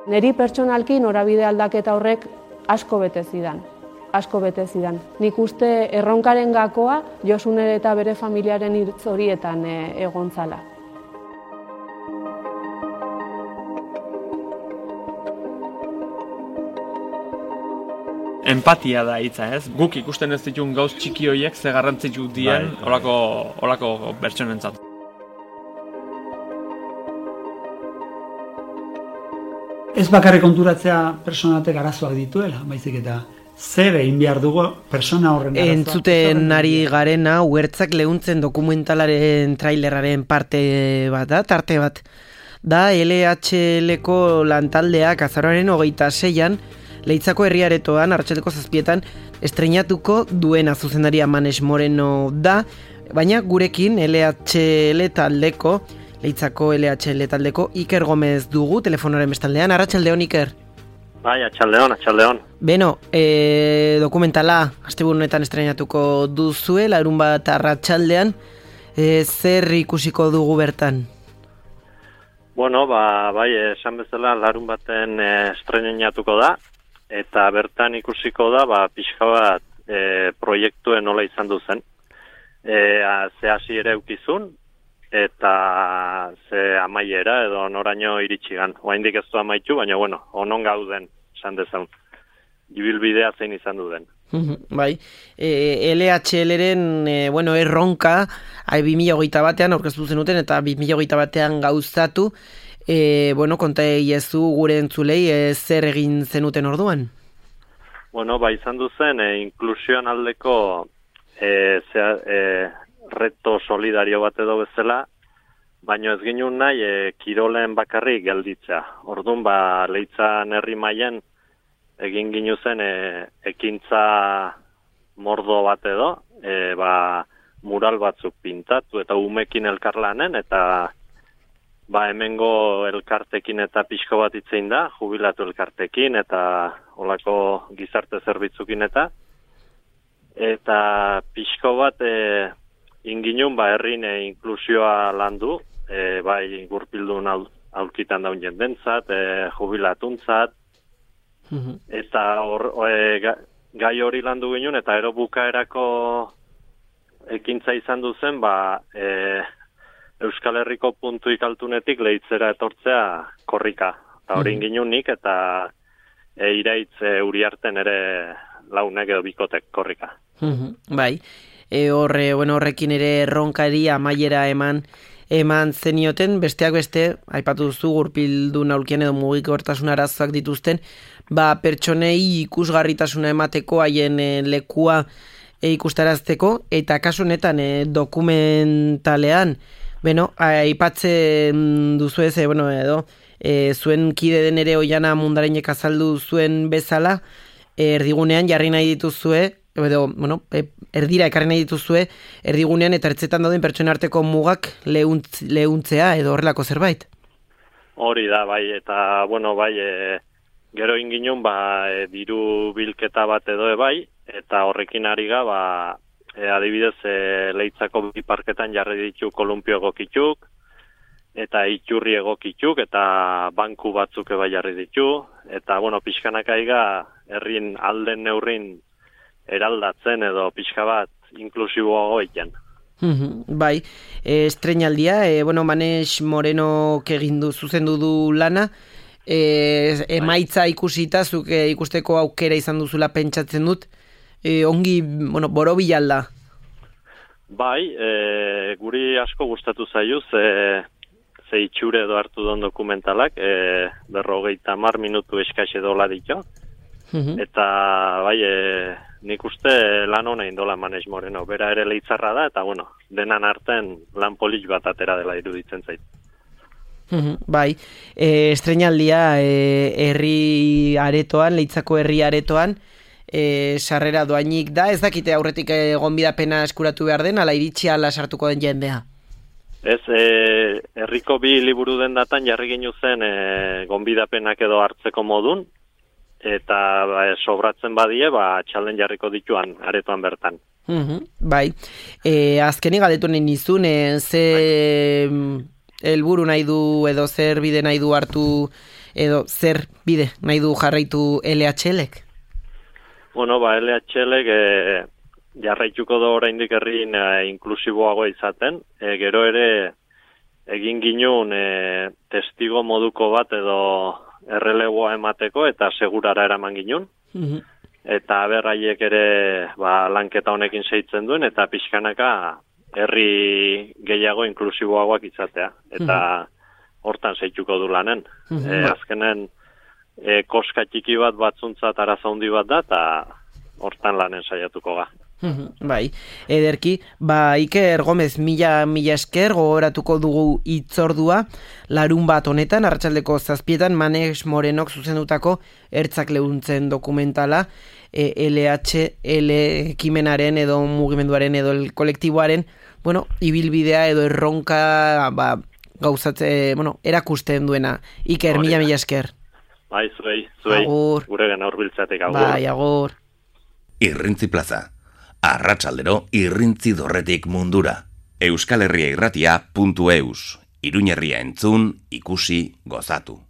Neri pertsonalki norabide aldaketa horrek asko bete zidan. Nik uste erronkaren gakoa Josune eta bere familiaren hitz horietan egon zala. Empatia da hitza, ez? Guk ikusten ez ditun gauz txiki horiek ze garrantzitsu dien holako pertsonentzat. Ez bakarrik konturatzea pertsonatek arazoak dituela, baizik eta zer egin behar dugu persona horren arazoak. Entzuten ari garena, Uhertzak Leuntzen dokumentalaren traileraren parte bat da, tarte bat. Da LHL-ko lantaldeak azaroaren 26an, Leitzako herriaretoan, arratsaldeko 7etan, estreinatuko duena zuzendaria Manes Moreno da, baina gurekin LHL taldeko, Leitzako LHL taldeko Iker Gomez dugu telefonoaren bestaldean. Arratsaldeon, Iker. Bai, atxaldeon. Beno, dokumentala asteburu honetan estreinatuko duzue, larunbat arratsaldean, zer ikusiko dugu bertan? Bueno, bai, esan bezala larunbaten estreinatuko da, eta bertan ikusiko da, pixka bat proiektuen nola izan duzen. Ze hasi ere eukizun, eta ze amaiera edo noraino iritsigan. Oraindik ez du amaitu, baina bueno, onon gauden, esan dezaun. Ibilbidea zein izan du den. Bai, LHL-ren erronka 2021an aurkeztu zenuten eta 2021an gauzatu. Konta iezu gure entzulei zer egin zenuten orduan? Bueno, izan duzen inklusioan aldeko reto solidario bat edo bezala, baina ez ginen nahi kirolen bakarrik gelditzea. Orduan, Leitzan herri mailan egin ginu zen ekintza mordo bat edo, mural batzuk pintatu eta umekin elkarlanen, eta hemengo elkartekin eta pixko bat itzein da, jubilatu elkartekin eta olako gizarte zerbitzukin eta pixko bat inginun herrin inklusioa landu, gurpildun aurkitan daun jendentzat, jubilatuntzat, eta gai hori landu ginen, eta ero bukaerako ekintza izan duzen, Euskal Herriko puntuik altunetik Leitzera etortzea korrika. Eta hori ingin nik, eta iraitz Uriarten ere launek edo bikotek korrika. Bai, horrekin ere erronkari amaiera eman zenioten, besteak beste, aipatu duzu gurpildun aulkien edo mugikortasun arazoak dituzten, pertsonei ikusgarritasuna emateko haien lekua ikustarazteko, eta kasu honetan dokumentalean, aipatzen duzu ez, zuen kide den ere Oiana Mundarainek azaldu zuen bezala, erdigunean jarri nahi dituzue, erdira ekarri nahi dituzue, erdigunean eta ertzetan dauden pertsona arteko mugak lehuntzea edo horrelako zerbait. Hori da, eta, gero inginun, diru bilketa bat edo eta horrekin ari ga, adibidez, Leitzako biparketan jarri ditu kolumpio egokituk, eta iturri egokituk, eta banku batzuk jarri ditu, eta, pixkanak aiga, herrin alden neurrin eraldatzen edo pixka bat inklusiboago egiten. Bai, estreinaldia, Manes Moreno zuzendu du lana, emaitza ikusita, zuk ikusteko aukera izan duzula pentsatzen dut, ongi, borobila da. Bai, guri asko gustatu zaio, ze itxure edo hartu don dokumentalak, 50 minutu eskaxe dola ditu, eta nik uste lan hona indola Manes Moreno, bera ere Leitzarra da, eta denan artean lan polit bat atera dela iruditzen zait. Bai, estreinaldia herri aretoan, Leitzako herri aretoan, sarrera doainik da, ez dakite aurretik gonbidapena eskuratu behar den, ala iritsi ala sartuko den jendea? Ez, herriko bi liburu den datan jarri ginu zen gonbidapenak edo hartzeko modun, eta sobratzen badie, txalden jarriko dituan, aretoan bertan. Bai, azkenik galdetu nahi nizun, ze helburu nahi du edo zer bide nahi du hartu edo zer bide nahi du jarraitu LHLek? Bueno, LHLek jarraituko da oraindik herrin inklusiboagoa izaten. Gero ere egin ginun testigo moduko bat edo errelegoa emateko eta segurara eraman ginun. Eta berraiek ere lanketa honekin seitzen duen eta pixkanaka herri gehiago inklusiboagoak izatea. Eta hortan seituko du lanen. Azkenen koska txiki bat batzuntzat arazo handi bat da eta hortan lanen saiatuko ga. Bai, ederki, Iker Gomez mila esker gogoratuko dugu hitzordua larun bat honetan, arratsaldeko 7 Manex Morenok zuzendutako Ertzak leuntzen dokumentala, LHL ekimenaren edo mugimenduaren edo kolektiboaren, ibilbidea edo erronka gauzatze, erakusten duena. Iker, mila esker. Bai, zuei, agur. Gure gana hurbiltzatik, agur. Bai, agur. Irrintzi plaza. Arratsaldero irrintzi dorretik mundura. euskalherriairratia.eus. Iruñerria entzun, ikusi, gozatu.